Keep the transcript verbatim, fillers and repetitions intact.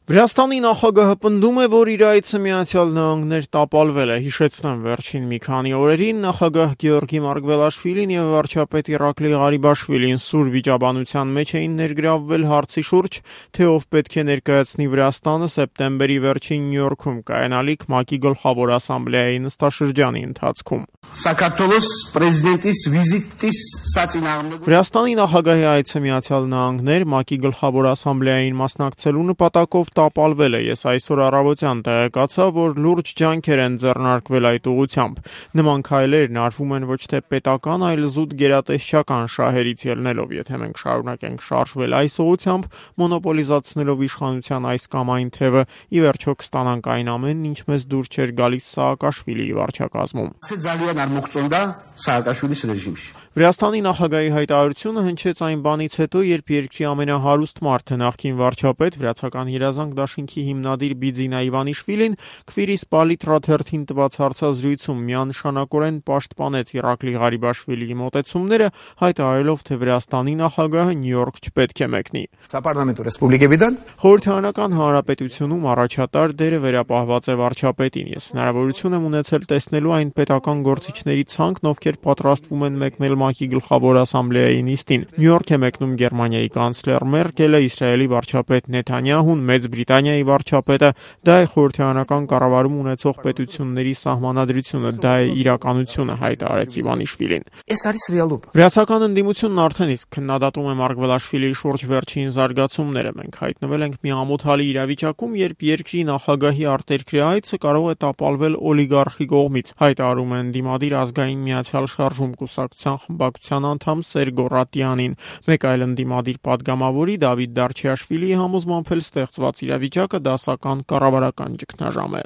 Վրաստանի նախագահը պնդում է, որ իր այցը Միացյալ Նահանգներ տապալվել է։ Հիշեցնեմ, վերջին մի քանի օրերին նախագահ Գեորգի Մարգվելաշվիլին եւ վարչապետ Իրակլի Ղարիբաշվիլին սուր վիճաբանության մեջ էին ներգրավվել հարցի շուրջ, թե ով պետք է ներկայացնի Վրաստանը սեպտեմբերի վերջին Նյու Յորքում կայանալիք ՄԱԿ-ի գլխավոր ասամբլեայի նստաշրջանի ընթացքում։ Վրաստանի նախագահի այցը Միացյալ Նահանգներ ՄԱԿ-ի գլխավոր ասամբլեային մասնակցելու նպատակով տապալվել է։ Ես այսօր առավոտյան տեղեկացա, որ լուրջ ջանքեր են ձեռնարկվել այդ ուղղությամբ։ Նման քայլերն արվում են ոչ թե պետական, այլ զուտ գերատեսչական շահերից ելնելով, եթե մենք շարունակենք շարժվել այս ուղղությամբ, մոնոպոլիզացնելով իշխանության այս կամ այն թևը, ի վերջո կստանանք այն ամենն, ինչ մեզ դուր չէր գալիս Սաակաշվիլիի վարչակազմում։ Վրաստանի նախագահի հայտարարությունը հնչեց այն բանից հետո, երբ երկրի ամենահարուստ մարդը, նախկին վարչապետ, վրացական երազանք դաշինքի հիմնադիր Բիձինա Իվանիշվիլին քվիրիս Պալիտրա թերթին տված հարցազրույցում միանշանակորեն պաշտպանեց Իրակլի Ղարիբաշվիլիի մոտեցումները, հայտարարելով, թե Վրաստանի նախագահը Նյու Յորք չպետք է մեկնի։ Խորհրդարանական հանրապետությունում առաջատար դերը վերապահված է վարչապետին։ Ես հնարավորություն եմ ունեցել տեսնելու այն պետական գործիչների ցանկն, ովքեր պատրաստվում են մեկնել ՄԱԿ-ի գլխավոր ասամբլեայի նիստին։ Նյու Յորք է մեկնում Գերմանիայի կանցլեր Մերկելը, Իսրայելի վարչապետ Նեթանյահուն, Մեծ Բրիտանիայի վարչապետը։ Դա է խորհրդարանական կառավարում ունեցող պետությունների սահմանադրությունը, դա է իրականությունը, հայտարարեց Իվանիշվիլին։ Վրացական ընդդիմությունն արդեն իսկ քննադատում է Մարգվելաշվիլիի շուրջ վերջին զարգացումները։ Մենք հայտնվել ենք մի ամոթալի իրավիճակում, երբ երկրի նախագահի արտերկրի այցը կարող է տապալվել օլիգարխի կողմից, հայտարարում են Դիմադիր ազգային միացյալ շարժում կուսակցության խմբակցության անդամ Սերգո Ռատյանին։ Մեկ այլ ընդդիմադիր պատգամավորի Դավիթ Դարչիաշվիլիի համոզմամբ էլ ստեղծված իրավիճակը դասական կառավարական ճգնաժամ է։